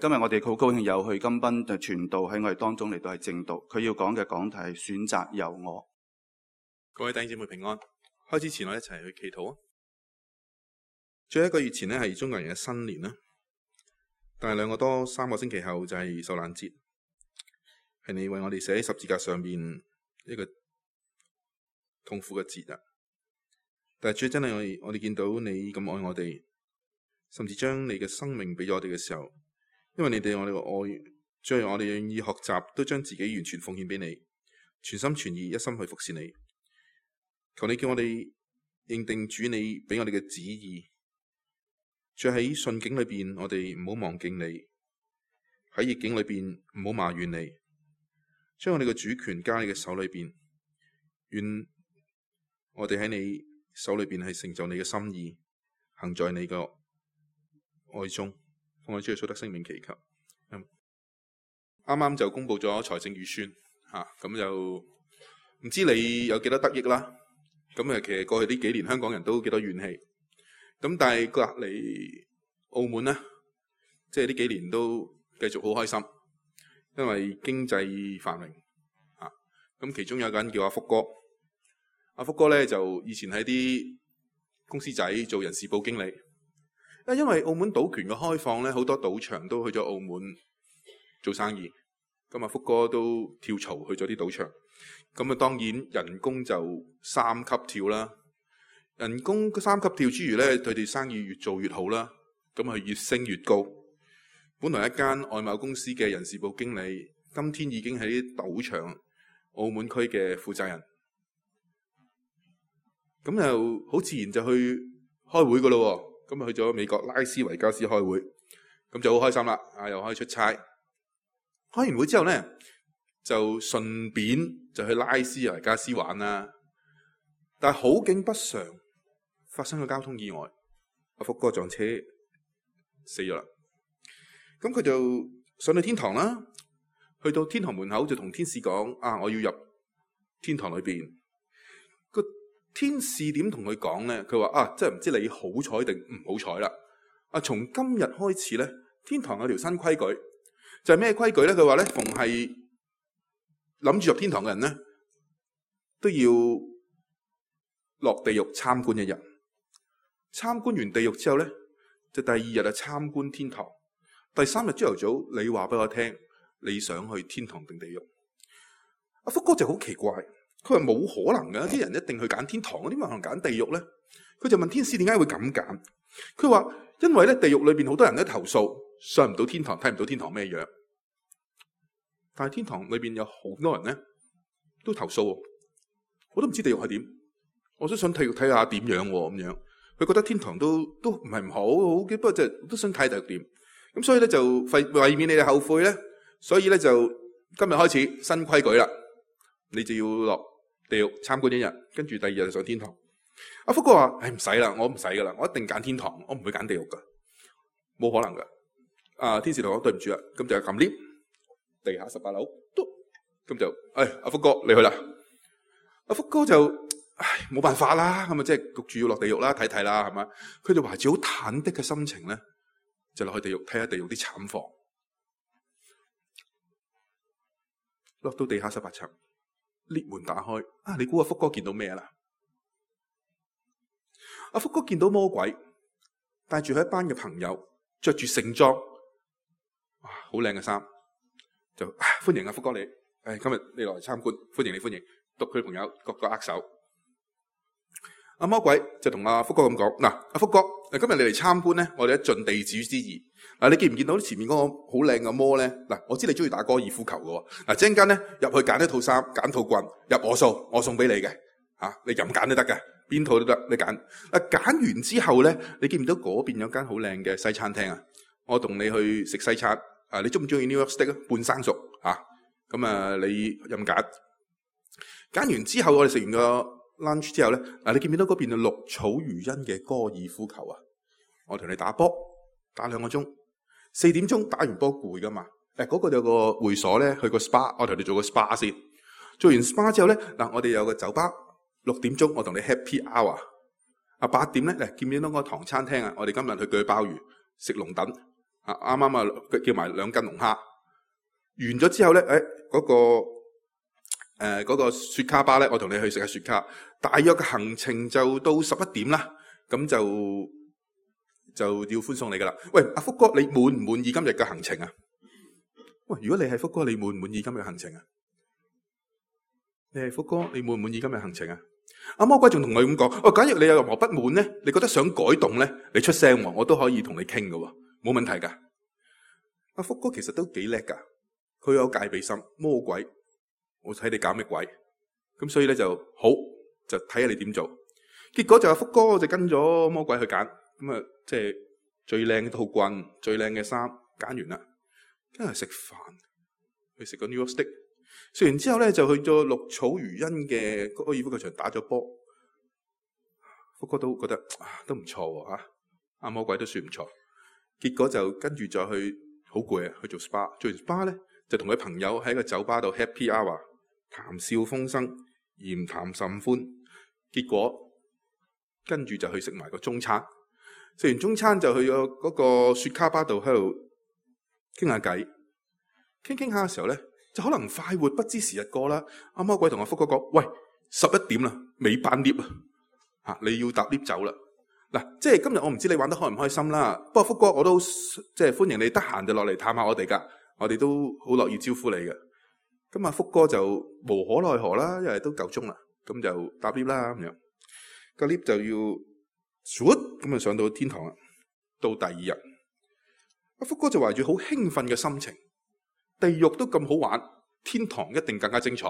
今日我哋好高興有去金斌傳道喺我哋當中嚟到係正道，佢要講嘅講題係選擇由我。各位弟兄姊妹平安。開始前我一齊去祈禱啊！最後1個月前呢係中國人嘅新年啦，但係2個多3個星期後就係受難節，係你為我哋寫喺十字架上面一個痛苦嘅節日。但係主真係我哋見到你咁愛我哋，甚至將你嘅生命俾咗我哋嘅時候，因為你對我哋嘅愛，最後我哋願意學習，都將自己完全奉獻俾你，全心全意一心去服侍你。求你叫我哋認定主你俾我哋嘅旨意，再喺順境裏邊，我哋唔好忘記你；喺逆境裏邊，唔好埋怨你。將我哋嘅主權加喺你嘅手裏邊，願我哋喺你手裏邊係成就你嘅心意，行在你嘅愛中。奉我主耶穌得聖名祈求。啱啱就公布咗財政預算咁就唔知你有幾多得益啦。咁其實過去呢幾年香港人都幾多怨氣，咁但係隔離澳門呢，即係呢幾年都繼續好開心，因為經濟繁榮咁其中有個人叫阿福哥，阿福哥咧就以前喺啲公司仔做人事部經理，因為澳門賭權嘅開放咧，好多賭場都去咗澳門做生意，咁阿福哥都跳槽去咗啲賭場。咁當然人工就3級跳啦。人工3級跳之餘咧，佢哋生意越做越好啦。咁佢越升越高。本來一間外貿公司嘅人事部經理，今天已經喺賭場澳門區嘅負責人。咁又好自然就去開會噶咯。咁去咗美國拉斯維加斯開會，咁就好開心啦。又可以出差。開完會之後咧，就順便就去拉斯維加斯玩啦，但係好景不常，發生咗交通意外，阿福哥撞車死咗啦。咁佢就上到天堂啦，去到天堂門口就同天使講：我要入天堂裏邊。個天使點同佢講咧？佢話：真係唔知你好彩定唔好彩啦。從今日開始咧，天堂有條新規矩，就係咩規矩咧？佢話咧，逢係諗住入天堂嘅人咧，都要落地獄參觀1日。參觀完地獄之後咧，就第2日啊參觀天堂。第3日朝頭早，你話俾我聽，你想去天堂定地獄？阿福哥就好奇怪，佢話冇可能㗎，啲人一定去揀天堂，點解可能揀地獄咧？佢就問天使點解會咁揀？佢話因為咧地獄裏邊好多人都投訴，上唔到天堂，睇唔到天堂咩樣。但係天堂裏邊有好多人咧都投訴，我都唔知地獄係點，我都想睇下點樣咁樣。佢覺得天堂都唔係唔好嘅，不過就都想睇地獄點。咁所以咧就為免你哋後悔咧，所以咧就今日開始新規矩啦，你就要落地獄參觀1日，跟住第2日就上天堂。阿福哥話：唔使啦，我唔使噶啦，我一定揀天堂，我唔會揀地獄噶，冇可能噶。天使同我對唔住啦，咁就撳 lift。地下18樓，咁就阿福哥你去啦。阿福哥就冇辦法啦，咁啊即係焗住要落地獄啦，睇睇啦，係嘛？佢就懷住好忐忑嘅心情咧，就落去地獄睇下地獄啲慘況。落到地下18層，lift門打開，你估阿福哥見到咩啦？阿福哥見到魔鬼帶住佢一班嘅朋友，着住盛裝，好靚嘅衫。就歡迎阿福哥你，今日你來參觀，歡迎你歡迎，讀佢朋友各個握手。阿魔鬼就同阿福哥咁講：阿福哥，今日你嚟參觀咧，我哋一盡地主之誼。你見唔見到前面嗰個好靚嘅魔咧？我知你中意打高爾夫球嘅，陣間咧入去揀一套衫，揀套棍，入我數，我送俾你嘅，你任揀都得嘅，邊套都得，你揀。揀完之後咧，你見唔到嗰邊有間好靚嘅西餐廳啊？我同你去食西餐。你中唔中意 New York steak 半生熟咁你任揀。揀完之後，我哋食完個 lunch 之後咧，你見唔見到嗰邊嘅綠草如茵嘅高爾夫球啊？我同你打波，打2個鐘，4點鐘打完波攰噶嘛？嗰個有個會所咧，去個 spa， 我同你做個 spa 先。做完 spa 之後咧，我哋有個酒吧，6點鐘我同你 happy hour。8點咧，見唔見到個唐餐廳啊？我哋今日去鋸鮑魚，食龍躉。啱啱啊叫埋2斤龍蝦。完咗之後咧，嗰個雪卡巴咧，我同你去食下雪卡。大約嘅行程就到11點啦，咁就要歡送你噶啦。喂，阿福哥，你滿唔滿意今日嘅行程啊？喂，如果你係福哥，你滿唔滿意今日嘅行程啊？你係福哥，你滿唔滿意今日行程啊？阿魔鬼仲同佢咁講：假如你有任何不滿咧，你覺得想改動咧，你出聲，我都可以同你傾噶，冇問題噶。阿福哥其實都幾叻噶，佢有戒備心。魔鬼，我睇你搞咩鬼？咁所以咧就好，就睇下你點做。結果就阿福哥就跟咗魔鬼去揀，咁啊即係最靚嘅套棍、最靚嘅衫揀完啦，跟住食飯，去食個 New York Steak。食完之後咧，就去咗綠草如茵嘅高爾夫球場打咗波。福哥都覺得都唔錯喎嚇，阿魔鬼都算唔錯。結果就跟住再去好攰啊，去做 SPA。做完 SPA 咧，就同佢朋友喺個酒吧度 Happy Hour， 談笑風生，言談甚歡。結果跟住就去食埋個中餐。食完中餐就去咗嗰個雪卡吧度喺度傾下偈。傾下嘅時候咧，就可能快活不知時日過啦。阿魔鬼同阿福哥講：喂，11點啦，尾班 lift 啊，你要搭 lift 走啦。嗱，即係今日我唔知你玩得開唔開心啦。不過福哥我都即係歡迎你得閒就落嚟探下我哋噶，我哋都好樂意招呼你嘅。咁啊，福哥就無可奈何啦，因為都夠鐘啦，咁就搭 lift 啦咁樣。個 lift 就要咁啊上到天堂啦。到第2日，阿福哥就懷住好興奮嘅心情。地獄都咁好玩，天堂一定更加精彩，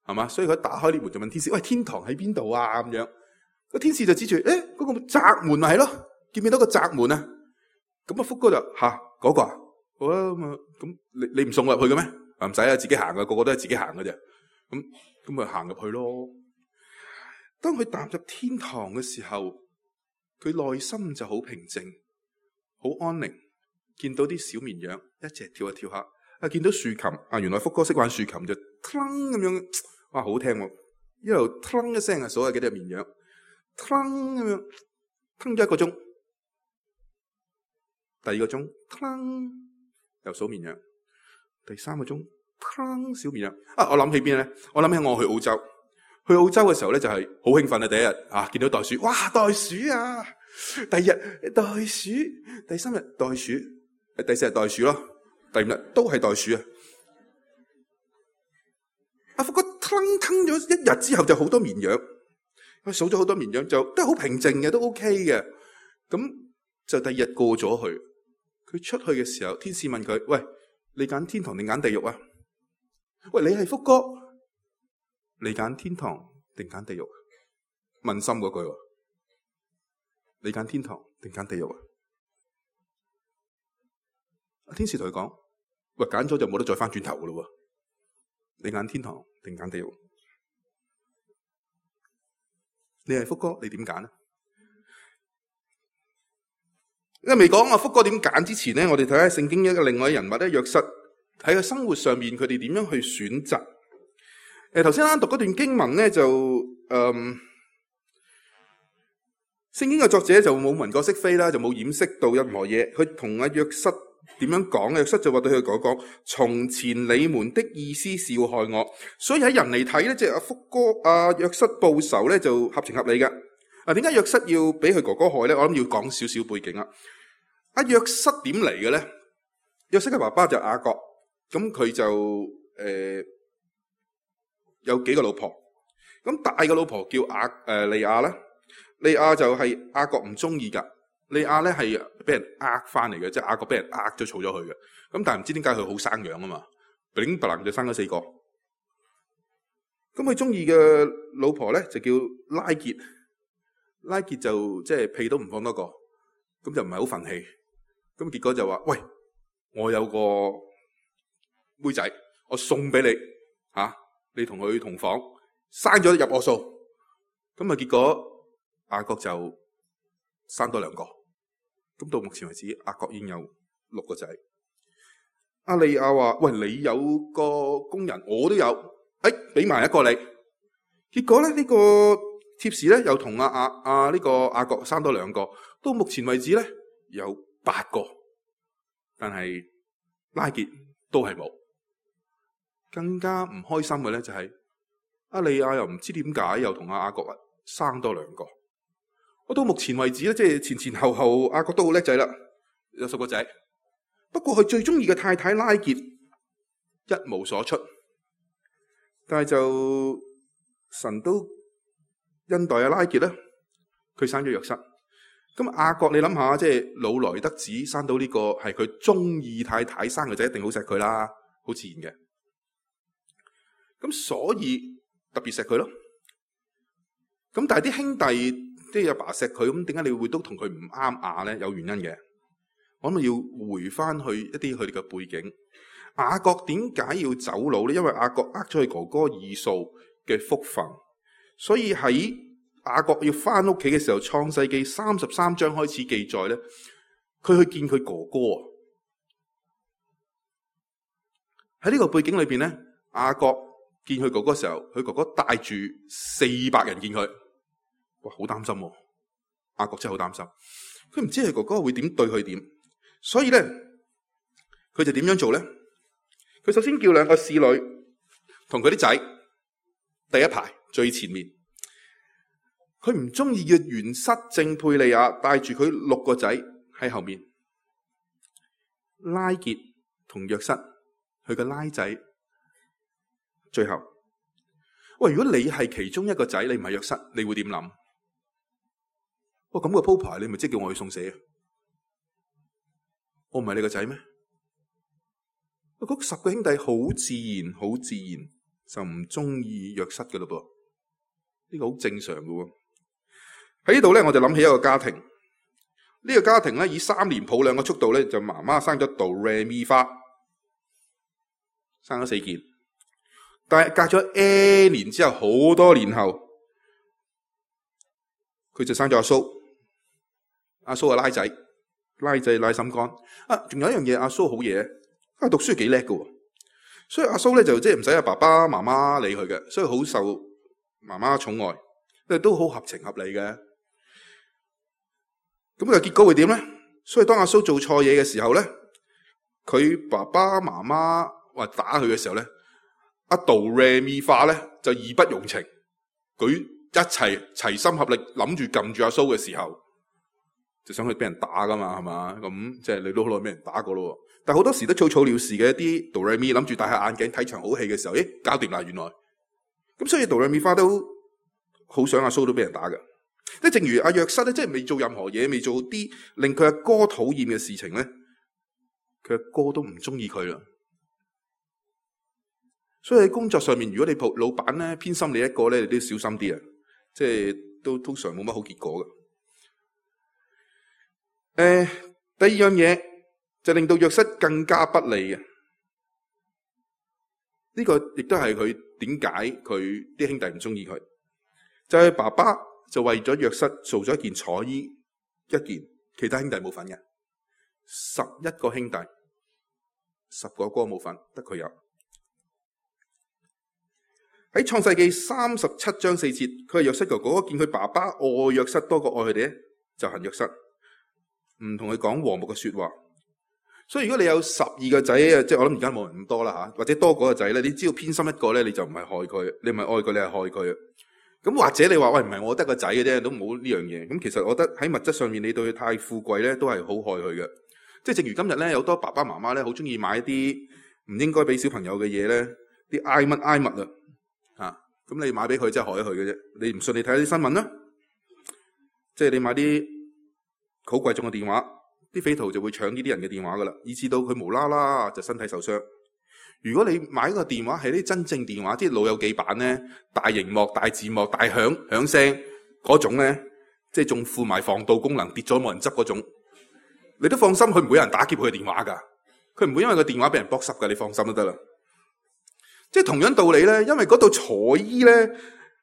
係嘛？所以佢打開呢門就問天使：喂，天堂喺邊度啊？咁樣個天使就指住嗰個窄門咪係咯，見唔見到個窄門啊？咁啊，福哥就嗰個啊，好啊，咁你唔送我入去嘅咩？唔使啊，自己行噶，個個都係自己行嘅啫。咁咪行入去咯。當佢踏入天堂嘅時候，佢內心就好平靜，好安寧，見到啲小綿羊一齊跳下跳下。見到豎琴原來福哥識玩豎琴，就騰咁樣，哇，好聽喎！一路騰一聲數下幾隻綿羊，騰咁樣騰咗1個鐘，第2個鐘騰又數綿羊，第3個鐘騰小綿羊。我諗起邊咧？我諗起我去澳洲。去澳洲嘅時候咧，就係好興奮啊！第1日見到袋鼠，哇，袋鼠啊！第2日袋鼠，第3日袋鼠，第4日袋鼠咯。第5日都係袋鼠啊！阿福哥騰咗1日之後就好多綿羊，佢數咗好多綿羊就都係好平靜嘅，都 OK 嘅。咁就第2日過咗去，佢出去嘅時候，天使問佢：喂，你揀天堂定揀地獄啊？喂，你係福哥，你揀天堂定揀地獄？問心嗰句，你揀天堂定揀地獄啊？天使同佢講：喂，揀咗就冇得再翻轉頭噶咯喎！你揀天堂定揀地獄？你係福哥，你點揀呢？因為未講福哥點揀之前咧，我哋睇下聖經一個另外人物咧，約瑟喺個生活上面佢哋點樣去選擇。頭先啱讀嗰段經文咧，就聖經嘅作者就冇文過飾非啦，就冇掩飾到任何嘢。佢同阿約瑟點樣講？約瑟就話對佢講：從前你們的意思是要害我，所以喺人嚟睇咧，即係阿福哥約瑟報仇咧就合情合理嘅。點解約瑟要俾佢哥哥害咧？我諗要講少少背景啦。約瑟點嚟嘅咧？約瑟嘅爸爸就雅各，咁佢就有幾個老婆。咁大嘅老婆叫利亞啦，利亞就係雅各唔中意噶。利亞咧係俾人呃翻嚟嘅，即係雅各俾人呃咗儲咗佢嘅。咁但係唔知點解佢好生養啊嘛，炳白就生咗4個。咁佢中意嘅老婆咧就叫拉結，拉結就即係屁都唔放多個，咁就唔係好憤氣。咁結果就話：喂，我有個妹仔，我送俾你你同佢同房，生咗入我數。咁啊結果雅各就生多2個。咁到目前為止，雅各已經有6個仔。阿利亞話：喂，你有個工人，我都有，俾埋1個你。結果咧呢個貼士咧又同呢個雅各生多2個。到目前為止咧有8個。但係拉結都係冇。更加唔開心嘅咧就係阿利亞又唔知點解又同阿雅各生多2個。我到目前為止咧，即係前後後雅各都好叻仔啦，有10個仔。不過佢最中意嘅太太拉結一無所出，但係就神都恩待阿拉結咧，佢生咗約瑟。咁雅各你諗下，即係老來得子生到呢個係佢中意太太生嘅仔，一定好錫佢啦，好自然嘅。咁所以特別錫佢咯。咁但係啲兄弟即係阿爸錫佢，咁點解你會都同佢唔啱牙咧？有原因嘅。我諗要回翻去一啲佢哋嘅背景。雅各點解要走佬咧？因為雅各呃咗佢哥哥以掃嘅福分，所以喺雅各要翻屋企嘅時候，創世記33章開始記載咧，佢去見佢哥哥。喺呢個背景裏邊咧，雅各見佢哥哥嘅時候，佢哥哥帶住400人見佢，哇，好擔心喎！雅各真係好擔心，佢唔知佢哥哥會點對佢點，所以咧，佢就點樣做咧？佢首先叫2個侍女同佢啲仔第一排最前面，佢唔中意嘅約瑟正配利亞帶住佢6個仔喺後面，拉結同約瑟佢嘅拉仔最後。喂，如果你係其中一個仔，你唔係約瑟，你會點諗？哇，咁個鋪排你咪即係叫我去送死啊？我唔係你個仔咩？嗰10個兄弟好自然就唔中意約瑟嘅咯噃，呢個好正常嘅喎。喺呢度咧，我就諗起一個家庭。呢個家庭咧，以3年抱2個速度咧，就媽媽生咗哆唻咪花，生咗4件。但係隔咗 N 年之後，好多年後，佢就生咗阿蘇。阿蘇係拉仔拉心肝。仲有一樣嘢，阿蘇好嘢，讀書幾叻㗎，所以阿蘇咧就即係唔使阿爸爸媽媽理佢嘅，所以好受媽媽寵愛，都好合情合理嘅。咁嘅結果會點咧？所以當阿蘇做錯嘢嘅時候咧，佢爸爸媽媽話打佢嘅時候咧，阿哆唻咪花咧就義不容情，佢一齊心合力諗住撳住阿蘇嘅時候，就想去俾人打噶嘛，係嘛？咁即係你都好耐俾人打過咯。但係好多時都草草了事嘅，一啲哆唻咪諗住戴下眼鏡睇場好戲嘅時候，搞掂啦原來。咁所以哆唻咪花都好想阿蘇都俾人打嘅。即係正如阿約瑟咧，即係未做任何嘢，未做啲令佢阿哥討厭嘅事情咧，佢阿哥都唔中意佢啦。所以喺工作上面，如果你老闆咧偏心你一個咧，你都要小心啲啊！即係都通常冇乜好結果嘅。第二樣嘢就令到約瑟更加不利嘅。呢個亦都係佢點解佢啲兄弟唔中意佢，就係爸爸就為咗約瑟做咗一件彩衣，一件其他兄弟冇份嘅。11個兄弟，10個哥冇份，得佢有。喺創世記37章4節，佢係約瑟哥哥，見佢爸爸愛約瑟多過愛佢哋咧，就恨約瑟，唔同佢講和睦嘅說話。所以如果你有12個仔啊，即係我諗而家冇人咁多啦吓，或者多個仔咧，你只要偏心一個咧，你就唔係害佢，你唔係愛佢，你係害佢。咁或者你話喂，唔係我得個仔嘅啫，都冇呢樣嘢。咁其實我覺得喺物質上面，你對佢太富貴咧，都係好害佢嘅。即係正如今日咧，有好多爸爸媽媽咧，好中意買一啲唔應該俾小朋友嘅嘢咧，啲挨物啊。咁你買俾佢真係害咗佢嘅啫。你唔信你睇下啲新聞啦，即係你買啲好貴重嘅電話，啲匪徒就會搶呢啲人嘅電話噶啦，以至到佢無啦啦就身體受傷。如果你買個電話係啲真正電話，啲老友記版咧，大螢幕、大字幕、大響聲嗰種咧，即係仲附埋防盜功能，跌咗冇人執嗰種，你都放心，佢唔會有人打劫佢嘅電話噶，佢唔會因為個電話俾人剝濕噶，你放心都得啦。即係同樣道理咧，因為嗰度彩衣咧，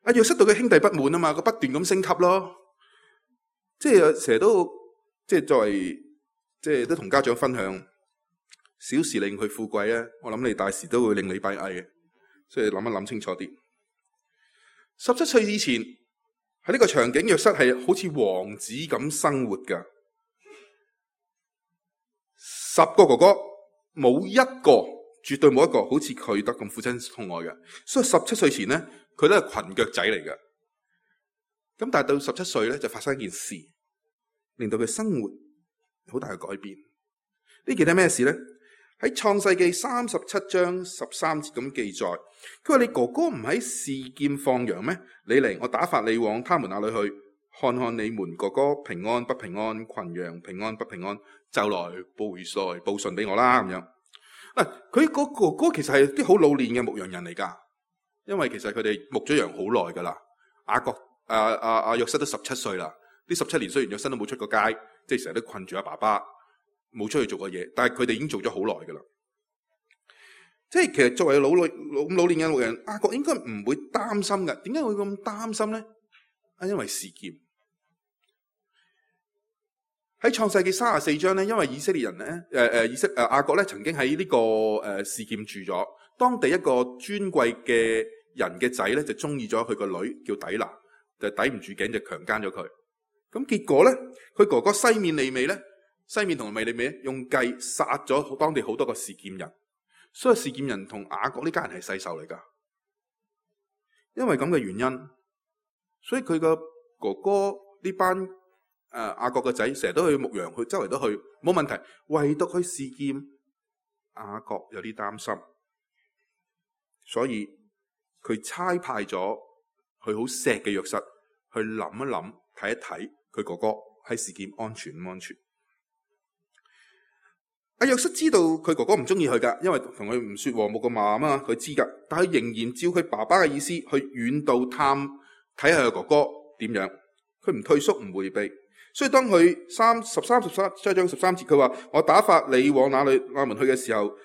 阿約瑟對佢兄弟不滿啊嘛，佢不斷咁升級咯。即係成日都即係作為即係都同家長分享，小事令佢富貴咧，我諗你大事都會令你閉翳嘅，所以諗一諗清楚啲。17歲以前喺呢個場景，約瑟係好似王子咁生活噶。10個哥哥冇一個，絕對冇一個好似佢得咁父親痛愛嘅。所以17歲前咧，佢都係裙腳仔嚟嘅。咁但係到17歲咧，就發生一件事，令到佢生活好大嘅改變。呢件係咩事咧？喺創世記37章13節咁記載，佢話：你哥哥唔喺示劍放羊咩？你嚟，我打發你往他們那裏去，看看你們哥哥平安不平安，群羊平安不平安，就來報信俾我啦。咁樣佢個哥哥其實係啲好老練嘅牧羊人嚟噶，因為其實佢哋牧咗羊好耐噶啦。約瑟都17歲啦，呢17年雖然約瑟都冇出過街，即係成日都困住阿爸爸，冇出去做過嘢，但係佢哋已經做咗好耐噶啦。即係其實作為老練嘅牧羊人，雅各應該唔會擔心嘅。點解會咁擔心咧？因為示劍。喺創世記34章咧，因為以色列人咧，雅各咧曾經喺呢個示劍住咗，當地一個尊貴嘅人嘅仔咧就中意咗佢個女叫底拿，就抵唔住頸就強姦咗佢。咁結果咧，佢哥哥西面利未咧，西面同利未咧用計殺咗當地好多個示劍人，所以示劍人同雅各呢家人係世仇嚟噶。因為咁嘅原因，所以佢個哥哥呢班雅各個仔成日都去牧羊，去周圍都去冇問題，唯獨去示劍，雅各有啲擔心，所以佢差派咗佢好錫嘅約瑟去諗一諗，睇一睇佢哥哥喺示劍安全唔安全。阿約瑟知道佢哥哥唔中意佢噶，因為同佢唔說和睦個馬啊嘛，佢知噶，但係仍然照佢爸爸嘅意思去遠道探睇下佢哥哥點樣，佢唔退縮唔回避。所以當佢13章13節，佢話我打發你往那門去嘅時候，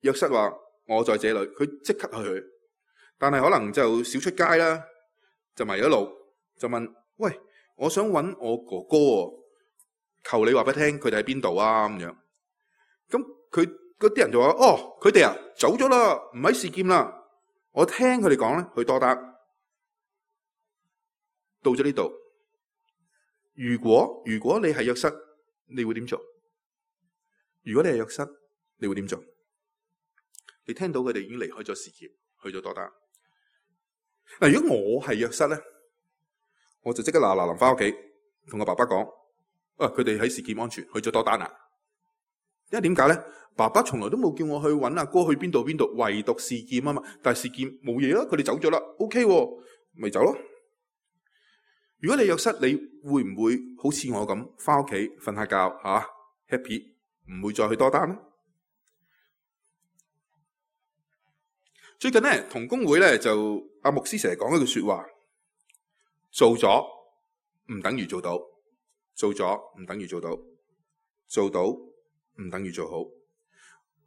約瑟話我在這裏，佢即刻去。但係可能就少出街啦，就迷咗路，就問：喂，我想揾我哥哥喎，求你話俾聽，佢哋喺邊度啊？咁樣，咁佢嗰啲人就話：哦，佢哋啊走咗啦，唔喺示劍啦。我聽佢哋講咧，去多達到咗呢度。如果你係約瑟，你會點做？如果你係約瑟，你會點做？你聽到佢哋已經離開咗示劍，去咗多達。嗱，如果我係約瑟咧，我就即刻嗱臨翻屋企，同我爸爸講：佢哋喺示劍安全，去咗多達啊！因為點解咧？爸爸從來都冇叫我去揾阿哥去邊度，唯獨示劍啊嘛。但係示劍冇嘢啦，佢哋走咗啦，OK，咪走咯。如果你約瑟，你會唔會好似我咁翻屋企瞓下覺happy，唔會再去多達咧？最近咧同工會咧就阿牧師成日講一句說話：做咗唔等於做到，做咗唔等於做到，做到唔等於做好。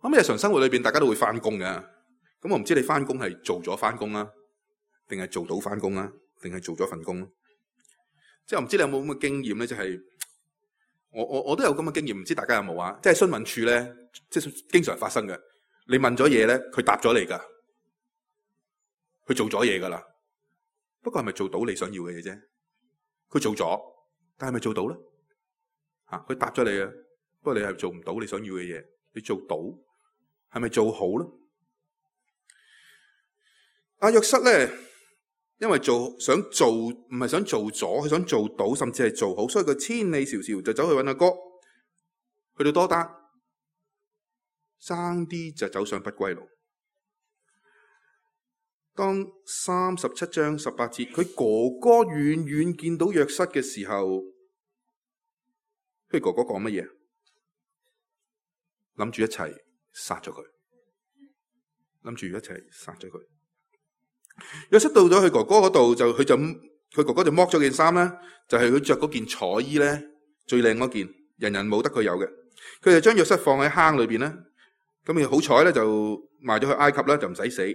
咁日常生活裏邊大家都會翻工嘅，咁我唔知你翻工係做咗翻工啊，定係做到翻工啊，定係做咗份工？即係我唔知你有冇咁嘅經驗咧，就係我都有咁嘅經驗，唔知大家有冇啊？即係詢問處咧，即係經常發生嘅。你問咗嘢咧，佢答咗你噶，佢做咗嘢噶啦。不過係咪做到你想要嘅嘢啫？佢做咗，但係咪做到咧？佢答咗你啊，不過你係做唔到你想要嘅嘢。你做到係咪做好咧？阿約瑟咧，因為想做唔係想做咗，佢想做到，甚至係做好，所以佢千里迢迢就走去揾阿哥，去到多達，爭啲就走上不歸路。當37章18節，佢哥哥遠遠見到約瑟嘅時候，佢哥哥講乜嘢？諗住一齊殺咗佢，約瑟到咗佢哥哥嗰度，佢哥哥就剝咗件衫啦，就係佢着嗰件彩衣咧，最靚嗰件，人人冇得佢有嘅。佢就將約瑟放喺坑裏邊咧，咁佢好彩咧就賣咗去埃及啦，就唔使死。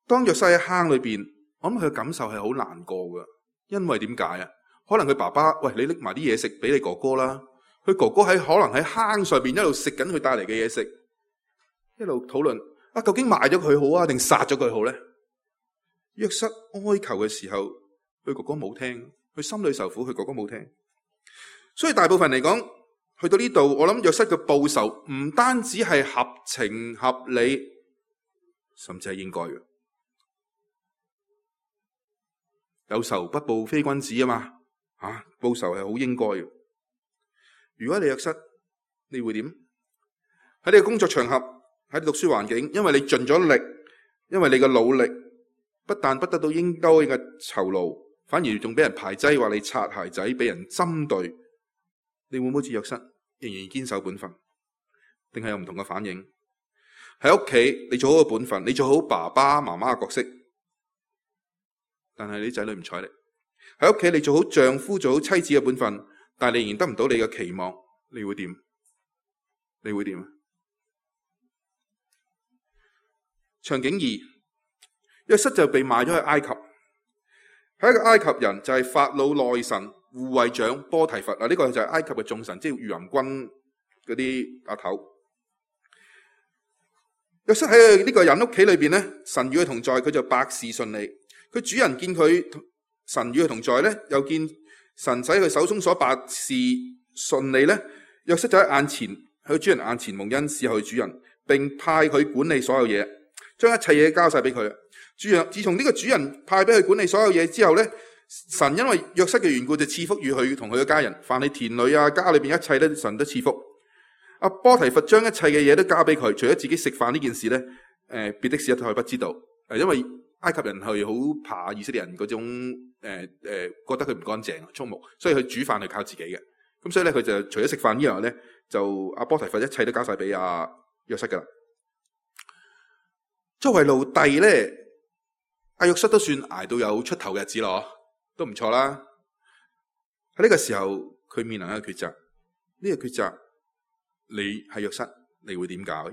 當約瑟喺坑裏邊，我諗佢嘅感受係好難過噶，因為點解啊？可能佢爸爸，喂，你拎埋啲嘢食俾你哥哥啦。佢哥哥可能喺坑上邊一路食緊佢帶嚟嘅嘢食，一路討論究竟賣咗佢好啊，定殺咗佢好咧？約瑟哀求嘅時候，佢哥哥冇聽，佢心裏受苦，佢哥哥冇聽。所以大部分嚟講，去到呢度，我諗約瑟嘅報仇唔單止係合情合理，甚至係應該嘅。有仇不報非君子啊嘛，報仇係好應該嘅。如果你約瑟，你會點？喺你嘅工作場合，喺你讀書環境，因為你盡咗力，因為你嘅努力，不但不得到應該嘅酬勞，反而仲俾人排擠，話你擦鞋仔，俾人針對，你會唔會好似約瑟，仍然堅守本分，定係有唔同嘅反應？喺屋企，你做好個本分，你做好爸爸媽媽嘅角色，但係你仔女唔睬你。喺屋企，你做好丈夫、做好妻子嘅本分，但係你仍然得唔到你嘅期望，你會點？你會點？場景2，約瑟就被賣咗去埃及，係一個埃及人，就係法老內臣護衛長波提乏。呢個就係埃及嘅眾臣，即係御林軍嗰啲阿頭。約瑟喺呢個人屋企裏邊咧，神與佢同在，佢就百事順利。佢主人見佢神與佢同在咧，又見神使佢手中所百事順利咧，約瑟就喺眼前，喺佢主人眼前蒙恩侍候佢主人，並派佢管理所有嘢，將一切嘢交晒俾佢。主人自從呢個主人派俾佢管理所有嘢之後咧，神因為約瑟嘅緣故就賜福與佢同佢嘅家人，凡係田裏啊家裏邊一切咧，神都賜福。阿波提乏將一切嘅嘢都交俾佢，除咗自己食飯呢件事咧，別的事一概不知道。因為埃及人係好怕以色列人嗰種覺得佢唔乾淨、畜牧，所以佢煮飯係靠自己嘅。咁所以咧，佢就除咗食飯之外咧，就阿波提乏一切都交晒俾阿約瑟噶啦。作為奴隸咧，阿約瑟都算捱到有出頭嘅日子咯，都唔錯啦。喺呢個時候，佢面臨一個抉擇，呢個抉擇。你係約瑟，你會點搞？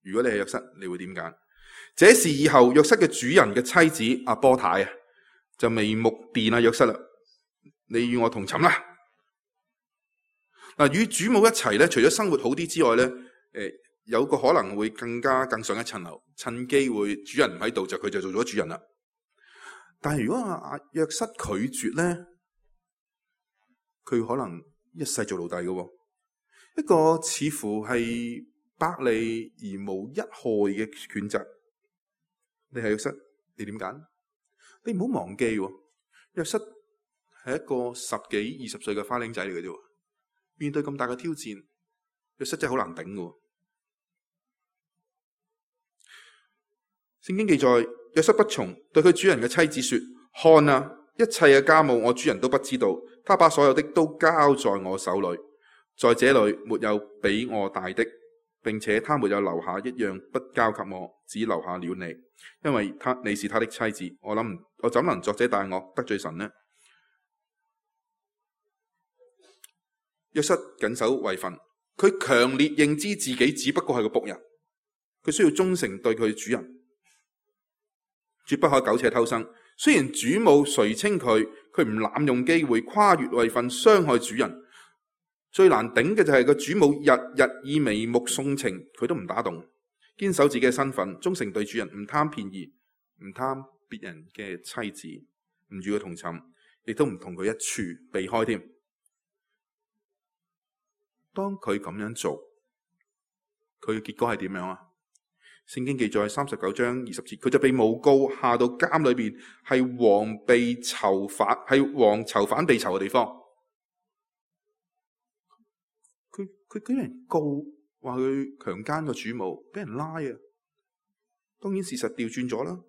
如果你係約瑟，你會點揀？這事以後約瑟嘅主人嘅妻子阿波太就眉目電約瑟啦。你與我同寢啦。嗱，與主母一齊咧，除咗生活好啲之外咧，有個可能會更上一層樓，趁機會主人唔喺度就佢就做咗主人啦。但係如果阿約瑟拒絕咧，佢可能一世做奴隸嘅。一個似乎係百利而無一害嘅抉擇。你係約瑟，你點揀？你唔好忘記，約瑟係一個10幾20歲嘅花僆仔嚟嘅啫。面對咁大嘅挑戰，約瑟真係好難頂嘅。聖經記載，約瑟不從，對佢主人嘅妻子說：看啊，一切嘅家務我主人都不知道，他把所有的都交在我手裏。在這裏沒有比我大的，並且他沒有留下一樣不交給我，只留下了你，因為你是他的妻子。我怎能作這大惡得罪神呢？約瑟謹守位分，佢強烈認知自己只不過係個僕人，佢需要忠誠對佢主人，絕不可苟且偷生。雖然主母垂青佢唔濫用機會跨越位分傷害主人。最難頂嘅就係個主母日日以眉目送情，佢都唔打動，堅守自己嘅身份，忠誠對主人，唔貪便宜，唔貪別人嘅妻子，唔與佢同寢，亦都唔同佢一處避開添。當佢咁樣做，佢嘅結果係點樣啊？聖經記載39章20節，佢就被誣告下到監裏邊，係王囚犯被囚嘅地方。佢俾人告，話佢強姦個主母，俾人拉啊！當然事實調轉咗啦。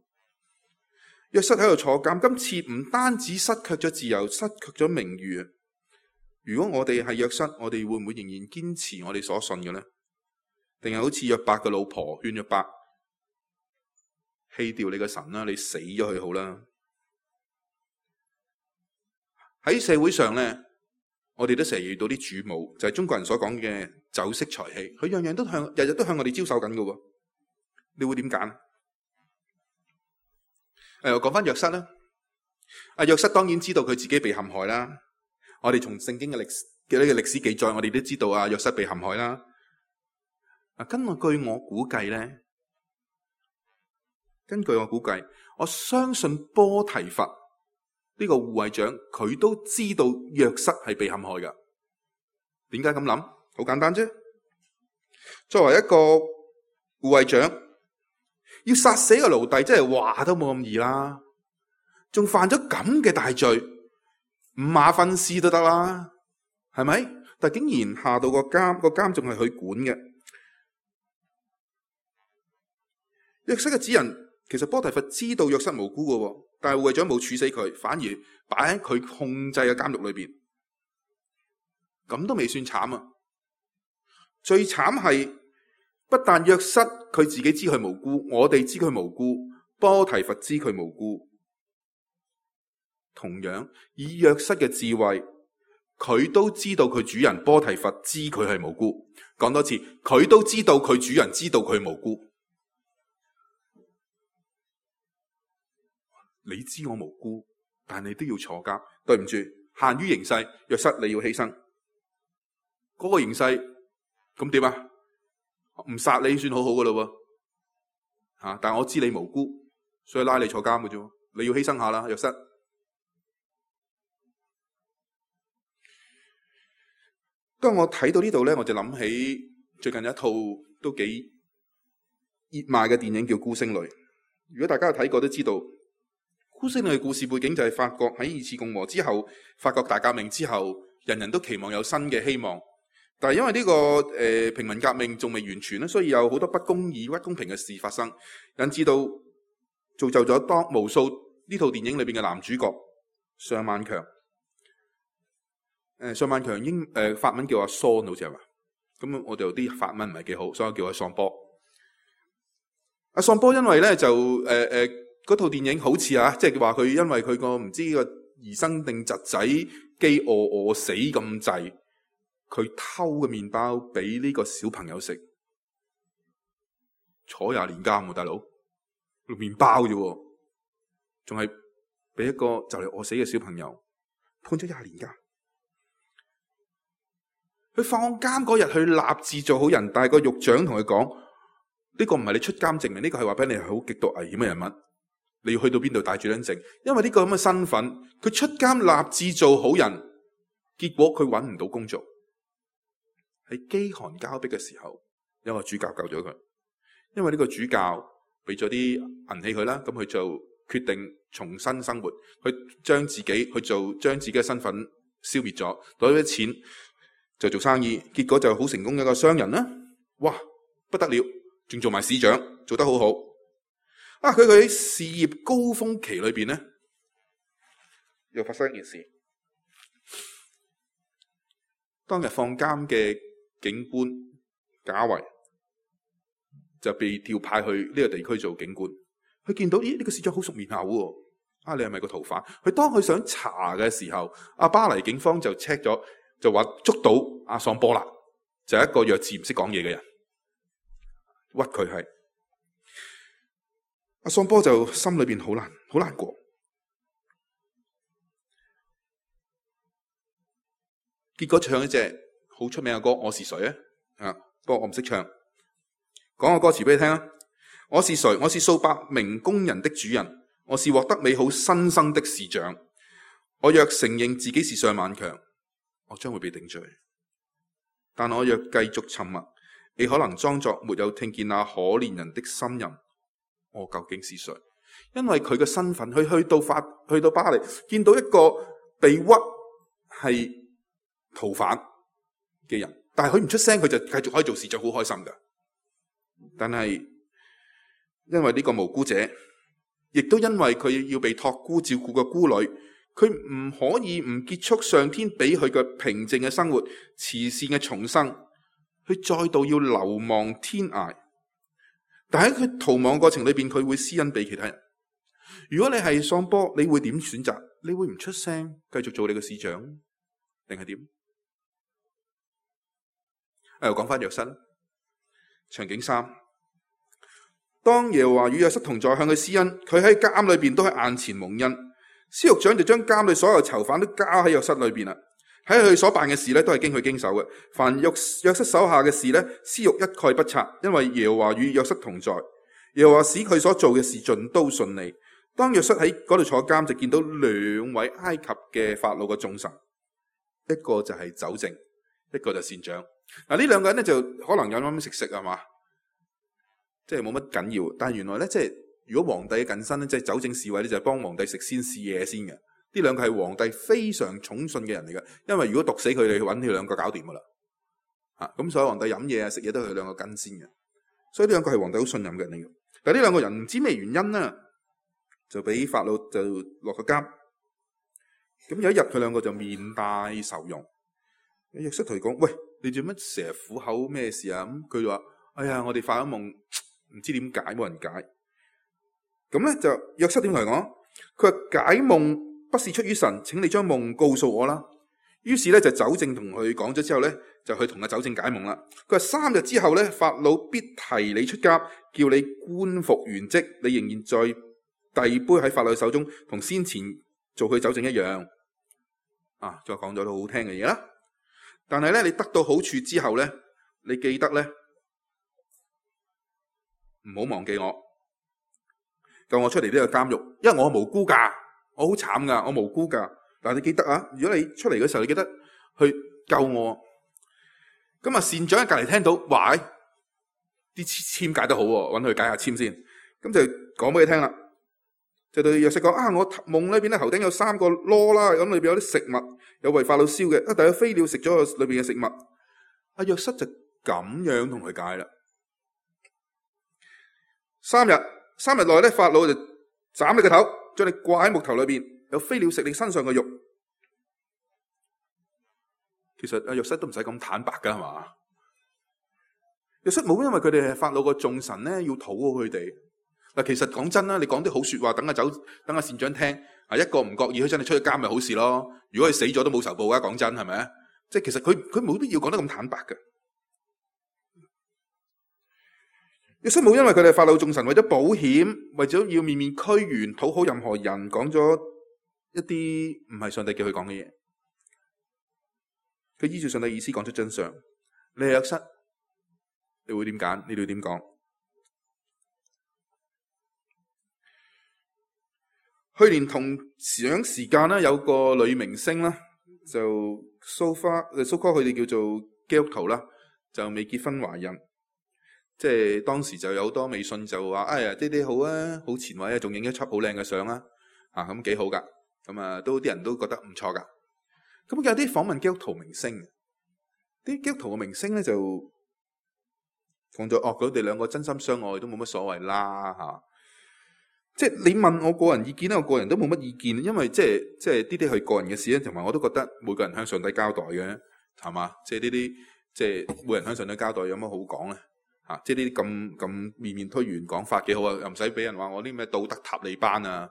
約瑟喺度坐監，今次唔單止失卻咗自由，失卻咗名譽啊！如果我哋係約瑟，我哋會唔會仍然堅持我哋所信嘅呢？定係好似約伯嘅老婆勸約伯棄掉你嘅神啦，你死咗佢好啦？喺社會上咧，我哋都成日遇到啲主母，就係中國人所講嘅酒色財氣，佢樣樣都日日都向我哋招手緊㗎喎。你會點揀？我講翻約瑟啦。約瑟當然知道佢自己被陷害啦。我哋從聖經嘅歷史記載，我哋都知道約瑟被陷害啦。根據我估計，我相信波提乏呢個護衛長佢都知道約瑟係被陷害噶。點解咁諗？好簡單啫。作為一個護衛長，要殺死個奴隸，真係話都冇咁易啦。仲犯咗咁嘅大罪，五馬分屍都得啦，係咪？但竟然下到個監仲係佢管嘅。約瑟嘅指人，其實波提乏知道約瑟無辜嘅，但係護衛長冇處死佢，反而擺喺佢控制嘅監獄裏邊。咁都未算慘啊！最慘係不但約瑟佢自己知佢無辜，我哋知佢無辜，波提乏知佢無辜。同樣以約瑟嘅智慧，佢都知道佢主人波提乏知佢係無辜。講多次，佢都知道佢主人知道佢無辜。你知我無辜，但你都要坐監。對唔住，限於形勢，約瑟你要犧牲。嗰個形勢咁點啊？唔殺你算好好噶啦喎，但我知你無辜，所以拉你坐監嘅啫。你要犧牲下啦，約瑟。當我睇到呢度咧，我就諗起最近一套都幾熱賣嘅電影叫《孤星淚》。如果大家有睇過都知道，《孤星淚》嘅故事背景就係法國喺二次共和之後，法國大革命之後，人人都期望有新嘅希望。但係因為呢個平民革命仲未完全咧，所以有好多不公義、不公平嘅事發生，引致到造就咗當無數呢套電影裏邊嘅男主角尚萬強。尚萬強法文叫阿桑，好似係嘛？咁我哋有啲法文唔係幾好，所以叫阿桑波。阿桑波因為咧就嗰套電影好似即係話佢因為佢個唔知個兒生定侄仔飢餓死咁滯，佢偷嘅麵包俾呢個小朋友食，坐20年監喎，大佬，麵包啫，仲係俾一個就嚟餓死嘅小朋友判咗20年監。佢放監嗰日，去立志做好人，但係個獄長同佢講：呢個唔係你出監證明，呢個係話俾你係好極度危險嘅人物，你要去到邊度帶住張證。因為呢個咁嘅身份，佢出監立志做好人，結果佢揾唔到工作。喺飢寒交迫嘅時候，有個主教救咗佢，因為呢個主教俾咗啲銀器佢啦，咁佢就決定重新生活，去將自己嘅身份消滅咗，攞咗啲錢就做生意，結果就好成功嘅一個商人啦。哇，不得了，仲做埋市長，做得好好。佢喺事業高峰期裏邊咧，又發生一件事。當日放監嘅警官賈維就被調派去呢個地區做警官。佢見到呢個市長好熟面口喎，你係咪個逃犯？佢當佢想查嘅時候，巴黎警方就 check 咗。就話捉到阿桑波啦，就係一個弱智唔識講嘢嘅人，屈佢係。阿桑波就心裏邊好難過。結果唱一隻好出名嘅歌《我是誰》不過我唔識唱，講個歌詞俾你聽啊！我是誰？我是數百名工人的主人，我是獲得美好新生的市長。我若承認自己是尚萬強，我將會被定罪，但我若繼續沉默，你可能裝作沒有聽見那可憐人的呻吟。我究竟是誰？因為佢嘅身份，佢去到巴黎，見到一個被屈係逃犯嘅人，但係佢唔出聲，佢就繼續可以做市長，好開心噶。但係因為呢個無辜者，亦都因為佢要被託孤照顧嘅孤女，佢唔可以唔結束上天俾佢嘅平靜嘅生活、慈善嘅重生，佢再度要流亡天涯。但喺佢逃亡過程裏邊，佢會施恩俾其他人。如果你係桑波，你會點選擇？你會唔出聲，繼續做你嘅市長，定係點？又講翻約瑟，場景3，當耶和華與約瑟同在，向佢施恩，佢喺監裏邊都喺眼前蒙恩。司獄長就將監裏所有囚犯都交喺約瑟裏邊啦。喺佢所辦嘅事咧，都係經佢經手嘅。凡約瑟手下嘅事咧，司獄一概不察，因為耶和華與約瑟同在。耶和華使佢所做嘅事盡都順利。當約瑟喺嗰度坐監，就見到2位埃及嘅法老嘅重臣，一個就係酒政，一個就善長。嗱，呢兩個人咧就可能有啱食係嘛，即係冇乜緊要。但係原來咧，即係如果皇帝嘅近身咧，即係酒政侍衛咧，就係幫皇帝食先試嘢先嘅。呢兩個係皇帝非常寵信嘅人嚟嘅，因為如果毒死佢哋，揾呢兩個搞掂噶啦。咁所以皇帝飲嘢啊食嘢都係佢兩個跟先嘅。所以呢兩個係皇帝好信任嘅人嚟嘅。但係呢兩個人唔知咩原因咧，就俾法老就落個監。咁有一日佢兩個就面帶愁容。約瑟同佢講：喂，你做乜成日苦口咩事啊？咁佢就話：哎呀，我哋發咗夢，唔知點解，冇人解。咁咧就約瑟點同佢講？佢話解夢不是出於神，請你將夢告訴我啦。於是咧就酒政同佢講咗之後咧，就去同阿酒政解夢啦。佢話3日之後咧，法老必提你出監，叫你官復原職，你仍然在遞杯喺法老手中，同先前做佢酒政一樣。再講咗都好聽嘅嘢啦。但係咧，你得到好處之後咧，你記得咧，唔好忘記我，救我出嚟呢個監獄，因為我無辜噶，我好慘噶，我無辜噶。但係你記得啊，如果你出嚟嘅時候，你記得去救我。咁啊，善長喺隔籬聽到，哇，啲簽解得好喎，搵佢解下簽先。咁就講俾佢聽啦，就對約瑟講：我夢裏邊咧頭頂有3個籮啦，咁裏邊有啲食物，有為法老燒嘅，但係有飛鳥食咗裏邊嘅食物。阿約瑟就咁樣同佢解啦。3日內咧，法老就斬你個頭，將你掛喺木頭裏邊，有飛鳥食你身上嘅肉。其實阿約瑟都唔使咁坦白噶，係嘛？約瑟冇因為佢哋係法老個眾臣咧，要討好佢哋。嗱，其實講真啦，你講啲好說話，等阿善長聽，一個唔覺意佢真係出咗監咪好事咯。如果佢死咗都冇仇報噶，講真係咪？即係其實佢冇必要講得咁坦白嘅。約瑟冇因為佢哋係法老眾臣，為咗保險，為咗要面面俱圓，討好任何人，講咗一啲唔係上帝叫佢講嘅嘢。佢依照上帝意思講出真相。你係約瑟，你會點揀？你會點講？去年同樣時間咧，有個女明星啦，就蘇哥佢哋叫做基督徒啦，就未結婚懷孕。即係當時就有好多微信就話：哎呀，呢啲好啊，好前衛啊，仲影一輯好靚嘅相啦，咁幾好噶。咁啊，都啲人都覺得唔錯噶。咁有啲訪問基督徒明星，啲基督徒嘅明星咧就講咗：佢哋兩個真心相愛都冇乜所謂啦，即係你問我個人意見咧，我個人都冇乜意見，因為即係呢啲係個人嘅事咧，同埋我都覺得每個人向上帝交代嘅，係嘛？即係呢啲即係每人向上帝交代，有乜好講咧？即係呢啲咁面面推圓講法幾好啊，又唔使俾人話我啲咩道德塔利班啊，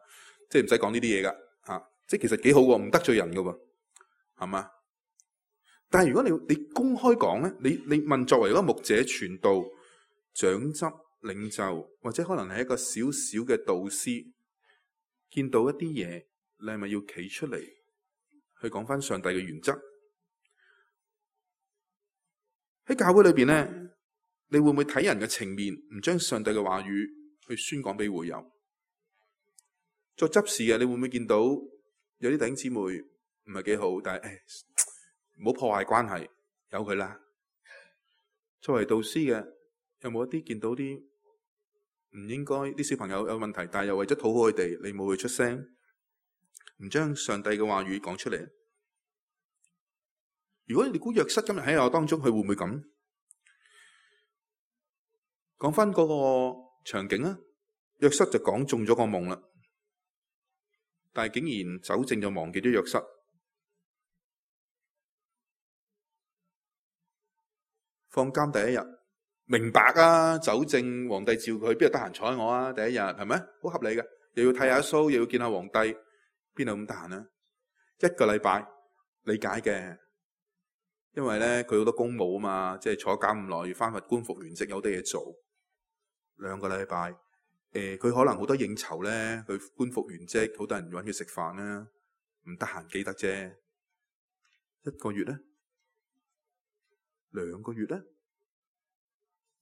即係唔使講呢啲嘢噶，即係其實幾好喎，唔得罪人噶喎，係嘛？但係如果你公開講咧，你問作為一個牧者、傳道、長執、領袖，或者可能係一個小小嘅導師，見到一啲嘢，你係咪要企出嚟去講翻上帝嘅原則？喺教會裏邊咧，你會唔會睇人嘅情面，唔將上帝嘅話語去宣講俾會友？做執事嘅，你會唔會見到有啲弟兄姊妹唔係幾好，但係唔好破壞關係，由佢啦。作為導師嘅，有冇一啲見到啲唔應該啲小朋友有問題，但係又為咗討好佢哋，你冇去出聲，唔將上帝嘅話語講出嚟？如果你估約瑟今日喺我當中，佢會唔會咁？講翻嗰個場景啊，約瑟就講中咗個夢啦，但係竟然酒政就忘記咗約瑟。放監第一日，明白啊，酒政皇帝召佢，邊度得閒睬我啊？第一日係咪好合理嘅？又要剃下鬚，又要見下皇帝，邊度咁得閒啊？1個禮拜理解嘅，因為咧佢好多公務啊嘛，即係坐監咁耐，要翻去官復原職，有啲嘢做。2個禮拜，佢可能好多應酬咧，佢官復原職，好多人揾佢食飯啦，唔得閒記得啫。1個月咧，2個月咧，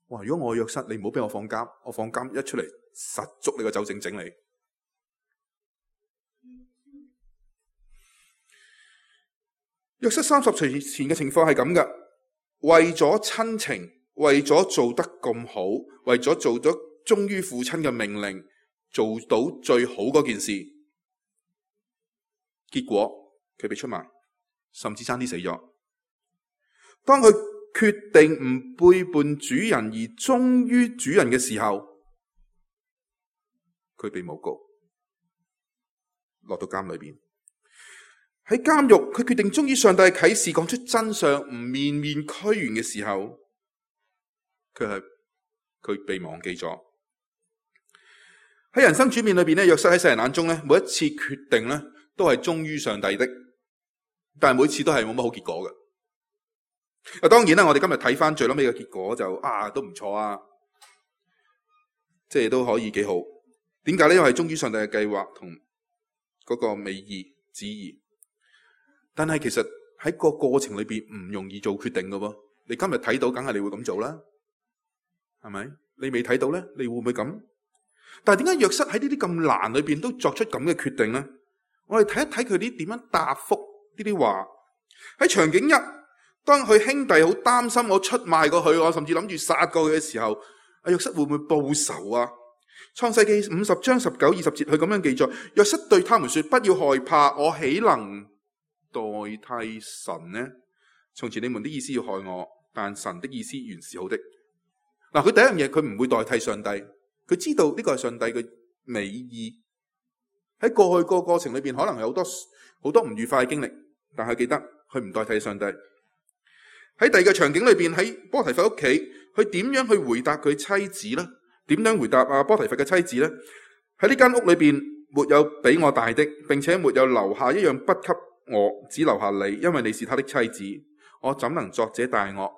哇！如果我約瑟，你唔好俾我放監，我放監一出嚟，實捉你個酒政整你。約瑟30歲前嘅情況係咁噶，為咗親情，為咗做得咁好，為咗做咗忠於父親嘅命令，做到最好嗰件事，結果佢被出賣，甚至差啲死咗。當佢決定唔背叛主人而忠於主人嘅時候，佢被誣告，落到監裏邊。喺監獄，佢決定忠於上帝嘅啟示，講出真相，唔面面俱圓嘅時候，佢被忘記咗。喺人生轉變裏邊咧，約瑟喺世人眼中咧，每一次決定咧都係忠於上帝的，但係每次都係冇乜好結果嘅。當然啦，我哋今日睇翻最尾嘅結果就都唔錯啊，即係都可以幾好。點解咧？因為係忠於上帝嘅計劃同嗰個美意旨意。但係其實喺個過程裏邊唔容易做決定㗎喎。你今日睇到，梗係你會咁做啦，係咪？你未睇到咧，你會唔會咁？但係點解約瑟喺呢啲咁難裏邊都作出咁嘅決定咧？我哋睇一睇佢啲點樣答覆呢啲話。喺場景一，當佢兄弟好擔心我出賣過佢，我甚至諗住殺過佢嘅時候，約瑟會唔會報仇啊？創世記50章19、20節，佢咁樣記載：約瑟對他們說，不要害怕，我豈能代替神呢？從前你們的意思要害我，但神的意思原是好的。嗱，佢第一樣嘢，佢唔會代替上帝，佢知道呢個係上帝嘅美意。喺過去個過程裏邊，可能有好多唔愉快嘅經歷，但係記得佢唔代替上帝。喺第二個場景裏邊，喺波提乏屋企，佢點樣去回答佢妻子呢？點樣回答波提乏嘅妻子呢？喺呢間屋裏邊，沒有比我大的，並且沒有留下一樣不給我，只留下你，因為你是他的妻子。我怎能作這大惡，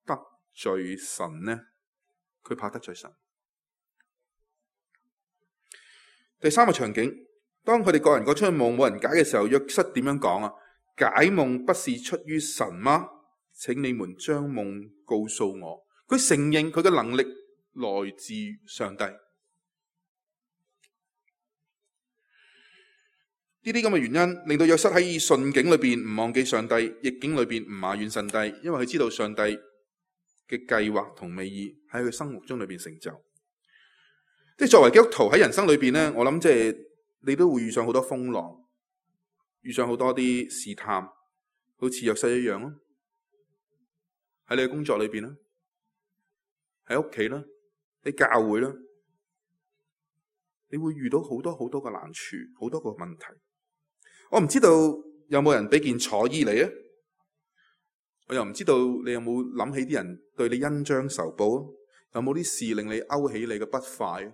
得罪神呢？佢怕得罪神。第三個場景，當佢哋各人各出去夢，冇人解嘅時候，約瑟點樣講啊？解夢不是出於神嗎？請你們將夢告訴我。佢承認佢嘅能力來自上帝。呢啲咁嘅原因，令到約瑟喺順境裏邊唔忘記上帝，逆境裏邊唔埋怨上帝，因為佢知道上帝嘅計劃同美意喺佢生活中裏邊成就。即係作為基督徒喺人生裏邊咧，我諗即係你都會遇上好多風浪，遇上好多啲試探，好似約瑟一樣咯。喺你嘅工作裏邊啦，喺屋企啦，喺教會啦，你會遇到好多好多嘅難處，好多個問題。我唔知道有冇人俾件楚衣你啊？我又唔知道你有冇諗起啲人對你恩將仇報啊？有冇啲事令你勾起你嘅不快？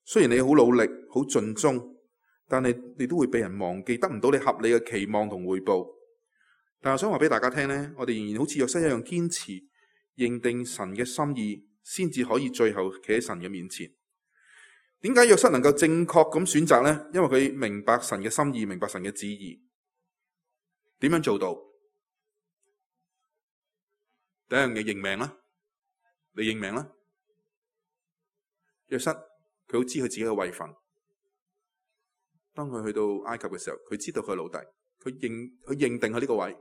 雖然你好努力、好盡忠，但係你都會被人忘記，得唔到你合理嘅期望同回報。但係我想話俾大家聽呢，我哋仍然好似約瑟一樣堅持認定神嘅心意，先至可以最後企喺神嘅面前。點解約瑟能夠正確咁選擇呢？因為佢明白神嘅心意，明白神嘅旨意。點樣做到？第一樣嘢認命啦，你認命啦。約瑟佢好知佢自己嘅位份。當佢去到埃及嘅時候，佢知道佢係奴隸，佢認定佢呢個位，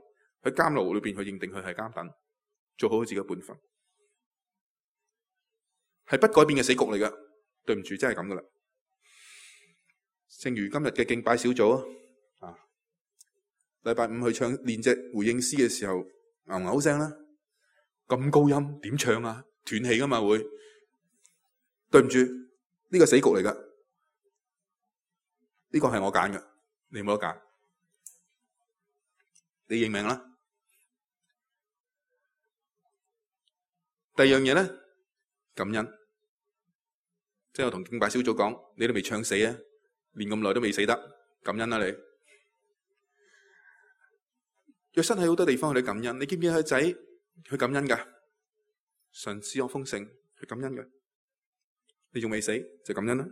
喺監牢裏邊佢認定佢係監躉，做好佢自己嘅本分，係不改變嘅死局嚟㗎。對唔住，真係咁噶啦。正如今日嘅敬拜小組啊，禮拜五去唱練隻回應詩嘅時候，牛聲啦，咁高音點唱啊？斷氣噶嘛會。對唔住，呢個死局嚟噶，呢個係我揀嘅，你冇得揀，你認命啦。第二樣嘢咧，感恩。即係我同敬拜小組講，你都未唱死啊，練咁耐都未死得，感恩啦你。約瑟喺好多地方去感恩，你見唔見佢仔去感恩噶？神賜我豐盛，去感恩嘅。你仲未死就感恩啦。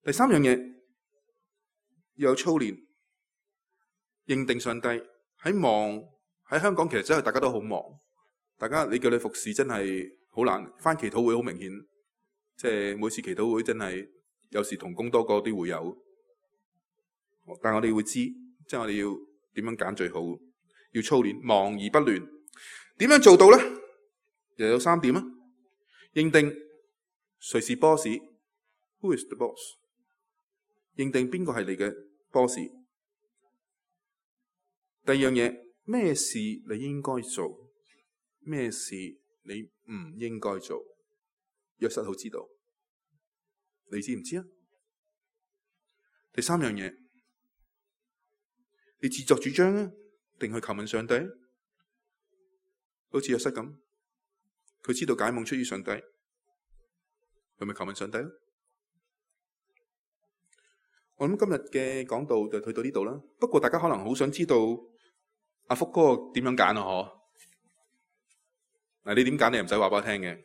第三樣嘢要有操練，認定上帝喺忙喺香港，其實真係大家都好忙，大家你叫你服侍真係好難，返祈禱會好明顯。即係每次祈禱會真係有時同工多過啲會友，但係我哋會知即係我哋要點樣揀最好，要操練忙而不亂。點樣做到咧？又有3點啊。認定誰是 boss，Who is the boss？ 認定邊個係你嘅 boss。第二樣嘢，咩事你應該做，咩事你唔應該做。約瑟好知道，你知唔知啊？第3樣嘢，你自作主張啊，定去求問上帝？好似約瑟咁，佢知道解夢出於上帝，佢咪求問上帝咯？我諗今日嘅講道就去到呢度啦。不過大家可能好想知道阿福哥點樣揀啊？嗬？嗱，你點揀你唔使話俾我聽嘅。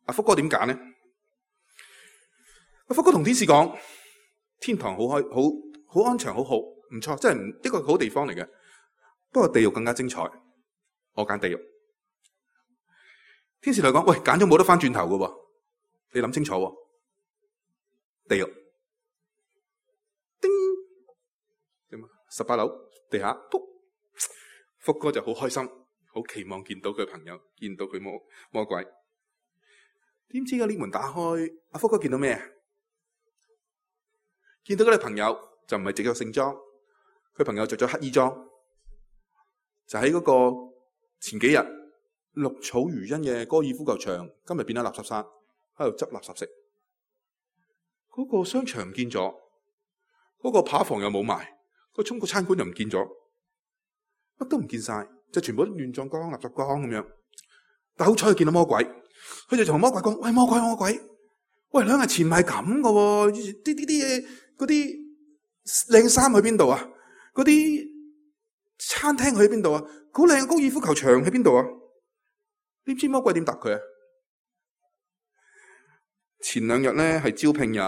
阿福哥點揀呢？阿福哥同天使講：天堂好開，好安詳，好好，唔錯，真係一個好地方嚟嘅。不過地獄更加精彩，我揀地獄。天使嚟講：喂，揀咗冇得翻轉頭㗎喎，你諗清楚喎。地獄，叮，點啊？18樓地下，噗，福哥就好開心，好期望見到佢朋友，見到佢魔鬼。點知個呢門打開，阿福哥見到咩？見到嗰啲朋友就唔係着咗聖裝，佢朋友着咗黑衣裝，就喺嗰個前幾日綠草如茵嘅高爾夫球場，今日變咗垃圾山，喺度執垃圾食。嗰個商場唔見咗，嗰個扒房又冇埋，個中國餐館又唔見咗，乜都唔見晒，就全部都亂葬崗、垃圾崗咁樣。但好彩佢見到魔鬼。佢就同魔鬼講：喂，魔鬼，喂，2日前唔係咁噶喎，啲嘢，嗰啲靚衫去邊度啊？嗰啲餐廳去邊度啊？好靚嘅高爾夫球場喺邊度啊？點知魔鬼點答佢啊？前2日咧係招聘日，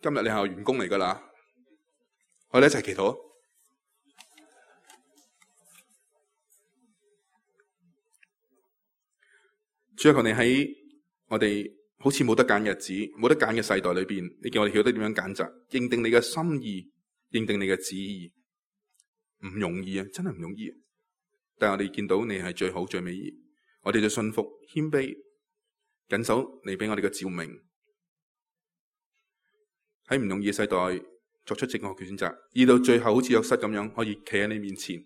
今日你係員工嚟噶啦，我哋一齊祈禱。主啊，求你喺我哋好似冇得揀日子、冇得揀嘅世代裏邊，你叫我哋曉得點樣揀擇，認定你嘅心意，認定你嘅旨意，唔容易啊，真係唔容易。但係我哋見到你係最好、最美意，我哋就信服、謙卑，緊守你俾我哋嘅照明，喺唔容易嘅世代作出正確嘅選擇，而到最後好似約瑟咁樣，可以企喺你面前，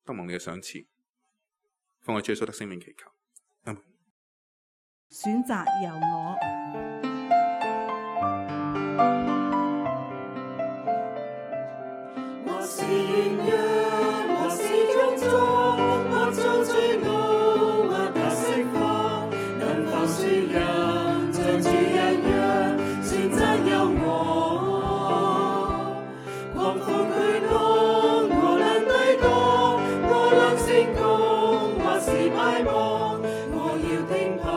得蒙你嘅賞賜，奉我主耶穌得聖名祈求。選擇由我。我是軟弱，我是種種，我做罪惡，我得釋放，能否輸人像主一樣，選擇由我。狂風驅浪，我能抵擋，我能成功，或是敗亡，我要聽怕。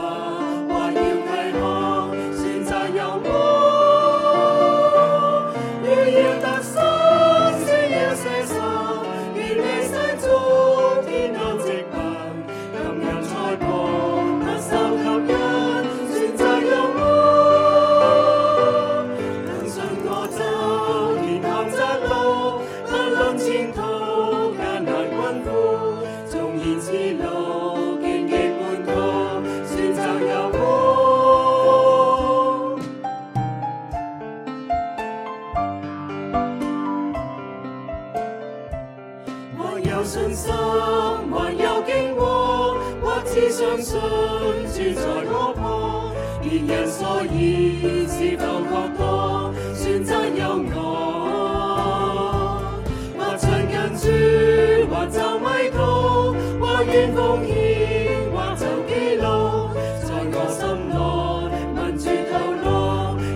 相信主在我旁，別人所以是否覺當，選擇由我。或親近主，或就迷途，或願奉獻，或就記錄，在我心內問主透露，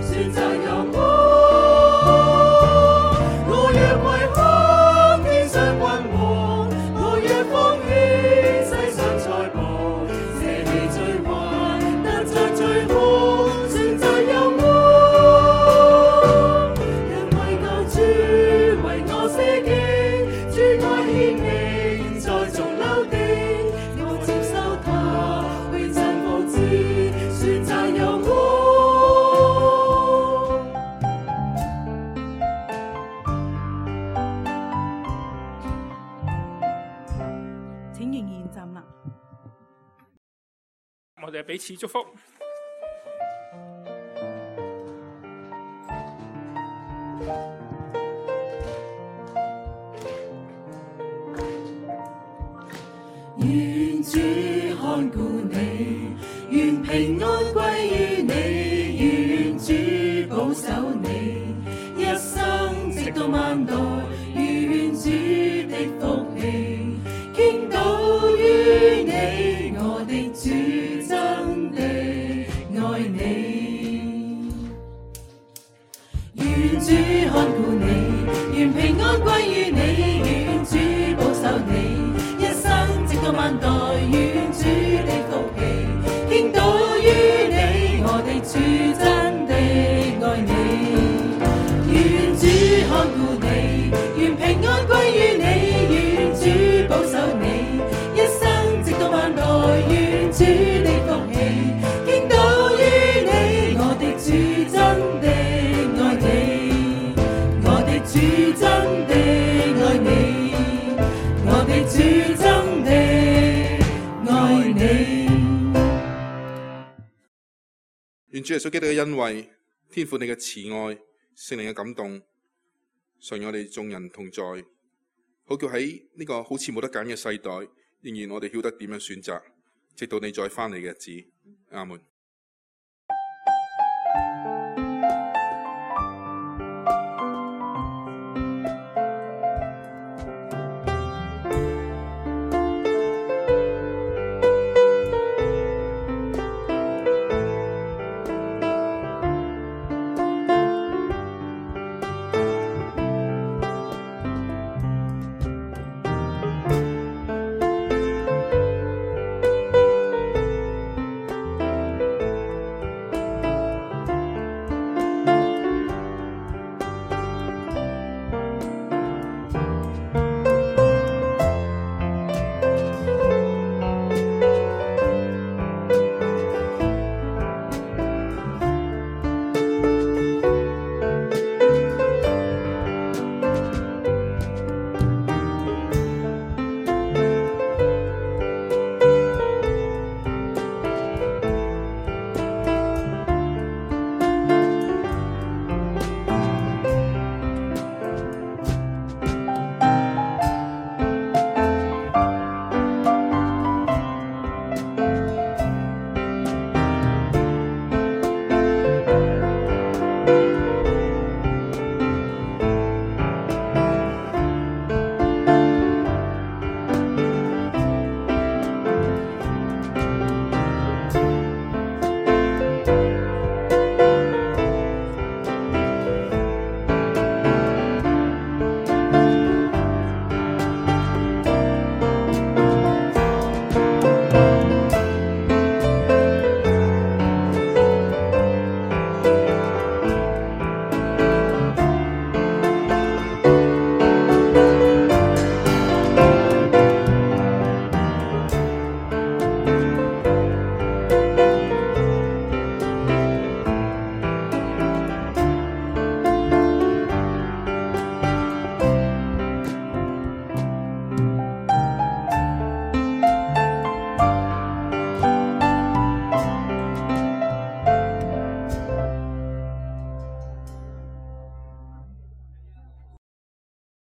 選擇由我。我若為看天上君王，我若放棄世上財寶。請仍然站立。我哋彼此祝福。願主看顧你，願平安歸於你，願主保守你，一生直到萬代，願主的福氣傾倒於你，我的主真的愛你。願主看顧你，願平安歸於你，願主保守你，一生直到萬代，願主的福氣傾倒於你，我的主真的愛你。願主看顧你，願平安歸於你，願主保守你，一生直到萬代，願主的福氣傾倒於你，我的主真的愛你，我的主真的愛你，我的主真的愛你。願主耶穌基督嘅恩惠、天父你嘅慈愛、聖靈嘅感動，常與我哋眾人同在，好叫喺呢個好似冇得揀嘅世代，仍然我哋曉得點樣選擇，直到你再翻嚟嘅日子。阿門。